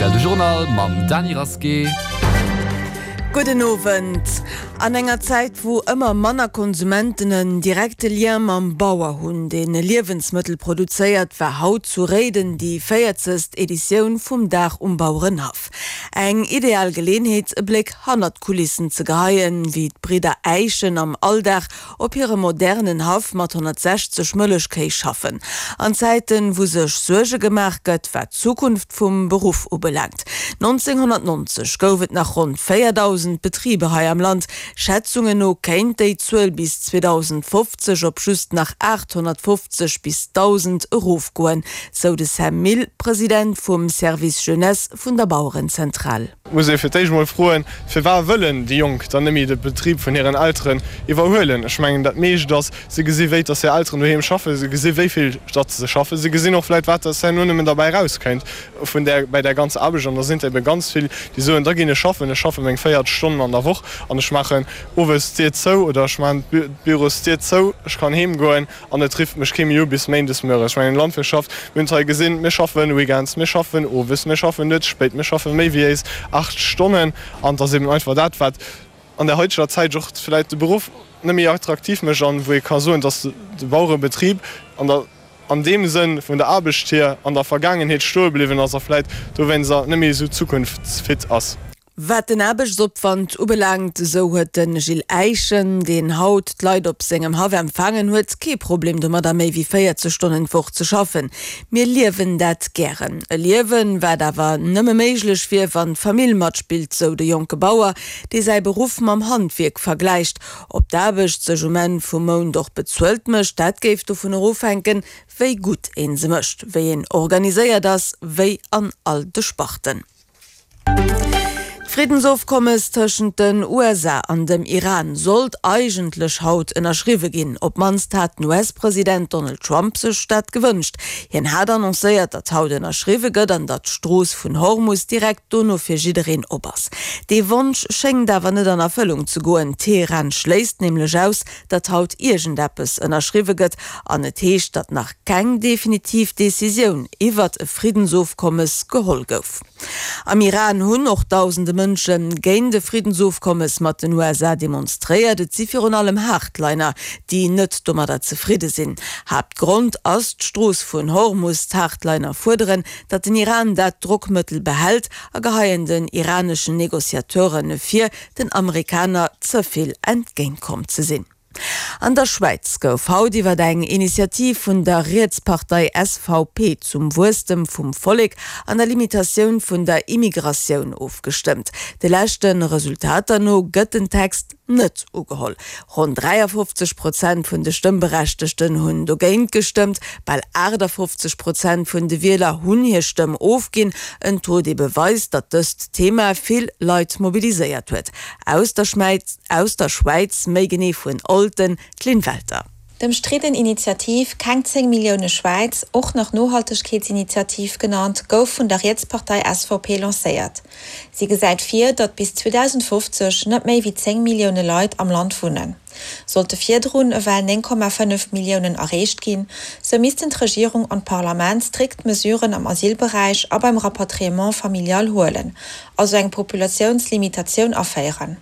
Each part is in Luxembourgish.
Rtl. De Journal mam Dany Rasqué. Gudden Owend. An enger Zäit, wou ëmmer manner Konsumenten en direkte Lien mam Bauer hunn, deen Liewensmëttel produzéiert, war haut zu Réiden déi véierzegst Editioun vum Dag um Bauerenhaff. Eng ideal Geleenheet, e Bléck hannert d'Kulissen ze geheien, wéi d'Bridder Äischen am Alldag op hirem modernen Haff mat 160 Mëllechkéi schaffen. An Zäiten, wou sech Suerge gemaach gëtt, wat d'Zukunft vum Beruff ubelaangt. 1990 gouf et nach ronn 4.000 Betriber hei am Land. Schätzungen no kéint déi Zuel bis 2050 op just nach 850 bis 1.000 erofgoen, sou de Sam Mille, President vum Service Jeunesse vun der Bauerenzentral. Et muss ee fir d'éischt emol froen, Firwat wëllen déi Jonk dann net méi de Betrib vun hiren Elteren iwwerhuelen? Ech mengen, dat meescht ass, se gesi wéi dass hir Elteren doheem schaffen, se gesi wéi vill datt se schaffen, se gesinn och vläicht wat dass herno nëmmen derbäi erauskéint vun där, bäi där ganzer Aarbecht. An da sinn et ebe ganz vill, déi soen, da ginn ech schaffen, ech schaffe meng 40 Stonnen an der Woch an ech maachen owes d'Dier zou oder ech maachen d'Bürosdier zou, ech kann heem goen. An et rifft mech kee méi u bis méindes mueres. Ech mengen, Landwirtschaft, mir hunn et hei gesinn, mir schaffen weekends, mir schaffen owes, mir schaffen nuets spéit, mir schaffe méi wéi éis 8 Stonnen. An et ass eben einfach dat, wat an der haiteger Zäit och vläicht de Beruff net méi attraktiv mécht an wou ee ka soen, dass de Bauerebetrib an der, an deem Sënn vun der Aarbecht hier an der Vergaangenheet stoe bliwwen ass a vläicht dowéinster net méi esou zukunftsfit ass. Wat den Aarbechtsopwand ubelaangt, esou huet de Gilles Eischen, deen haut d'Leit op sengem Haff empfaangen huet, kee Problem domadder méi wéi 40 Stonnen d'Woch ze schaffen. Mir liewen dat gären. E Liewen, wat awer nëmme méiglech wier, wann d'Famill matspillt, sou de jonke Bauer, dee säi Beruff mam Handwierk vergläicht. Ob d'Aarbecht sech um Enn vum Mount och bezuelt mécht, dat géif dovunner ofhänken, wéi gutt ee se mécht, wéi een organiséiert ass, wéi an all de Sparten. D'Friddensofkommes tëschent den USA an dem Iran sollt eigentlech haut ënnerschriwwe ginn. Op d'mannst hat den US-President Donald Trump sech dat gewënscht. Hien hat annoncéiert, datt haut ënnerschriwwe gëtt an datt d'Strooss vun Hormus direkt dono fir jiddereen op ass. Dee Wonsch schéngt awer net an Erfëllung ze goen. Teheran schléisst nämlech aus, datt haut iergendeppes ënnerschriwwe gëtt an et heescht, datt nach keng definitiv Decisioun iwwert e Friddensofkommes geholl gouf. Am Iran hunn och dausende Mënsche géint e Friddensofkommes mat den USA demonstréiert. Et si virun allem Hardliner, déi net domadder zefridde sinn. Haaptgrond ass d'Strooss vun Hormus. D'Hardliner fuerderen, datt den Iran dat Drockmëttel behält a geheien den iraneschen Negociateure vir, den Amerikaner ze vill entgéintkomm ze sinn. An der Schwäiz gouf haut iwwer eng Initiativ vun der Rietspartei SVP zum Wuesstem vum Vollek an der Limitatioun vun der Immigratioun ofgestëmmt. De leschte Resultater no gëtt den Text net ugeholl. Ronn 53 Prozent vun de Stëmmberechtegten hunn dogéint gestëmmt, bal 58 Prozent vun de Wieler hunn hir Stëmm ofginn. En Taux, dee beweist, datt dëst Thema vill Leit mobiliséiert huet. Aus der Aus der Schwäiz, méi genee vun Olten, d'Lynn Welter. D'ëmstridden Initiativ Keng 10 Millioune Schwäiz, och nach Nohaltegkeetsinitiativ genannt, gouf vun der Rietspartei SVP lancéiert. Si gesäit vir, datt bis 2050 net méi wéi 10 Millioune Leit am Land wunnen. Sollte virdrun ewell 9,5 Milliounen erreecht ginn, sou missten d'Regierung an d'Parlament strikt Mesuren am Asylberäich a beim Rapatriement familial huelen, also eng Populatiounslimitatioun aféieren.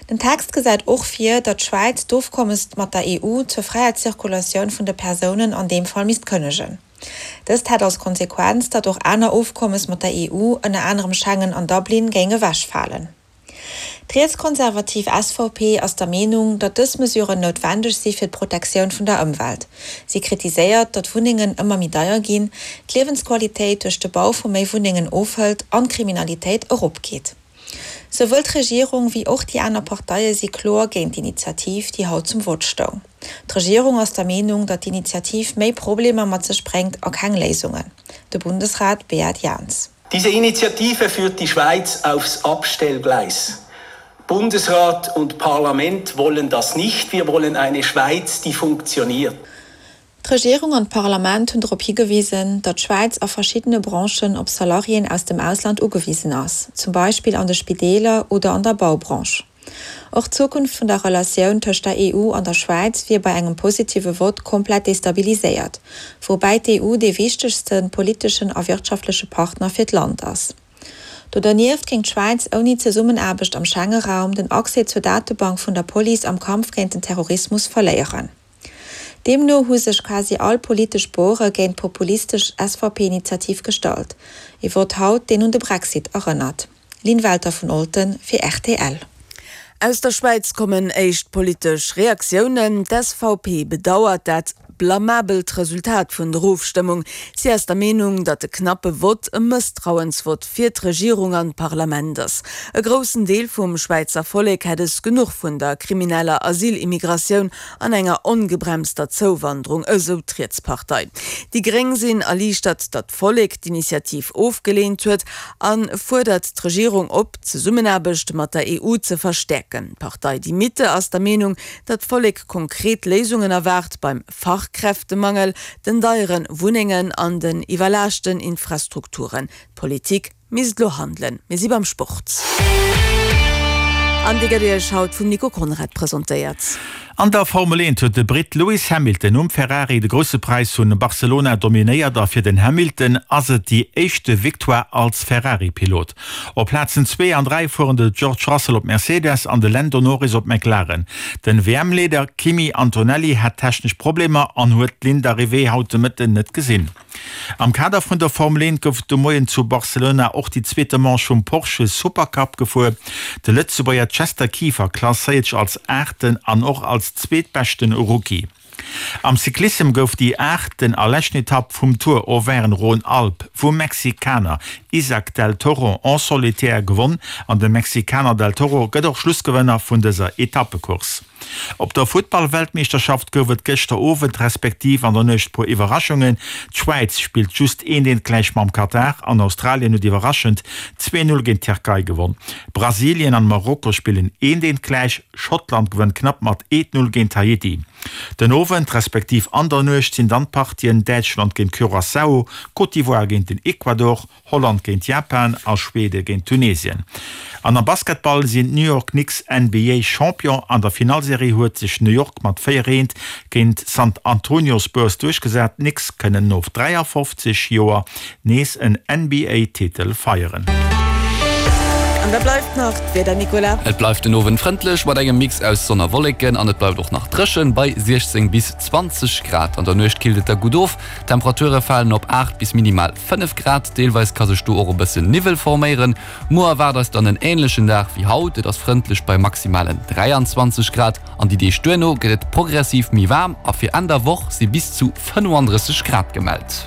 Den Text gesäit och vir, datt d'Schwäiz d'Ofkommes mat der EU zur fräier Zirkulatioun vun de Persounen an deem Fall misst kënnegen. Dëst hätt als Konsequenz, datt och aner Ofkommes mat der EU, ënner anerem Schengen an Dublin, géing ewechfalen. D'rietskonservativ SVP ass der Meenung, datt dës Mesuren noutwendeg si fir d'Protektioun vun der Ëmwelt. Si kritiséiert, datt Wunnengen ëmmer méi deier ginn, d'Liewensqualitéit duerch de Bau vu méi Wunnengen ofhëlt an d'Kriminalitéit eropgeet. Souwuel d'Regierung wéi och déi aner Parteie si kloer géint d'Initiativ, déi haut zum Vott stoung. D'Regierung ass der Meenung, datt d'Initiativ méi Problemer mat sech bréngt a keng Léisungen. De Bundesrat Beat Jans. Diese Initiative führt die Schweiz aufs Abstellgleis. Bundesrat und Parlament wollen das nicht. Wir wollen eine Schweiz, die funktioniert. D'Regierung an d'Parlament hunn drop higewisen, datt d'Schwäiz a verschiddene Branchen op Salariéen aus dem Ausland ugewisen ass, zum Beispill an de Spideeler oder an der Baubranche. Och d'Zukunft vun der Relatioun tëscht der EU an der Schwäiz wier bei engem positive Vott komplett destabiliséiert, woubäi d'EU dee wichtegste politeschen a wirtschaftleche Partner fir d'Land ass. Do dernieft kéint d'Schwäiz ouni Zesummenaarbecht am Schenge-Raum den Accès zur Datebank vun der Police am Kampf géint den Terrorismus verléieren. Deemno hu sech quasi all politesch Bore géint d'populistesch SVP-Initiativ gestallt. E Vott haut, deen un de Brexit erënnert. Lynn Welter vun Olten fir rtl. Aus der Schwäiz kommen éischt politesch Reaktiounen. D'SVP bedauert dat blamabelt Resultat vun der Ofstëmmung. Si ass der Meenung, datt de knappe Vott e Mësstrauensvott fir d'Regierung an d'Parlament ass. E groussen Deel vum Schwäizer Vollek hätt es genuch vun der krimineller Asylimmigratioun an enger ongebremster Zouwanderung, esou d'Rietspartei. Déi Gréng sinn erliichtert, datt d'Vollek d'Initiativ ofgeleent huet a fuerdert d'Regierung op, d'Zesummenaarbecht mat der EU ze verstäerken. D'Partei Die Mitte ass der Meenung, datt d'Vollek konkret Léisungen erwaart beim Fachkräftemangel, den deiere Wunnengen an den iwwerlaaschten Infrastrukturen. D'Politik misst elo handelen. Mir si beim Sport. An dee gëtt Iech haut vum Nico Conrad presentéiert. An der Formel 1 huet de Britt Lewis Hamilton um Ferrari de Grousse Präis vun Barcelona dominéiert a fir den Hamilton ass et déi éischte Victoire als Ferrari-Pilot. Op Plazen 2 an 3 fueren de George Russell op Mercedes an de Lando Norris op McLaren. Den WM-Leader Kimi Antonelli hat technesch Problemer an huet d'Linn d'Arrivée haut de Mëtten net gesinn. Am Kader vun der Formel 1 gouf de Moien zu Barcelona och déi zweete Manche vum Porsche Supercup gefuer. De Lëtzebuerger Chester Kieffer klasséiert sech als Aachten an och als zweetbeschten Rookie. Am Cyclissem gouf déi aachten a leschten Etapp vum Tour Auvergne-Rhône-Alpes vum Mexikaner Isaac del Toro en solitaire gewonn an de Mexikaner del Toro gëtt och Schlussgewënner vun dëser Etappecourse. Op der Futtball-Weltmeeschterschaft gouf et gëschter Owend respektiv an der Nuecht puer Iwwerraschungen. D'Schwäiz spillt just eent eent gläich mam Katar an Australien huet iwwerraschend 2, 0 géint d'Tierkei gewonn. Brasilien an Marokko spillen eent eent gläich, Schottland gewënnt knapp mat 1, 0 géint Haiti. Den Owend respektiv an der Nuecht sinn dann d'Partien Däitschland géint Curaçao, Côte d'Ivoire géint den Ecuador, Holland géint Japan a Schwede géint Tunesien. An am Basketball sinn d'New York Knicks NBA Champion. An der Finallserie huet sech New York mat 4, 1 géint San Antonio Spurs duerchgesat. D'Knicks kënnen no 53 Joer nees en NBA Titel feieren. An da bleift nach d'Wieder, Nicolas. Et bleift den Owend frëndlech mat engem Mix aus Sonn a Wolleken an et bleift och nach dréchen bei 16 bis 20 Grad. An der Nuecht killt et da gutt of, d'Temperature falen op 8 bis minimal 5 Grad. Deelweis ka sech do och e bëssen Niwwel forméieren. Muer erwaart eis dann en änlechen Dag wéi haut, et ass frëndlech bei maximalen 23 Grad. An déi Deeg duerno gëtt et progressiv méi waarm a fir Enn der Woch si bis zu 35 Grad gemellt.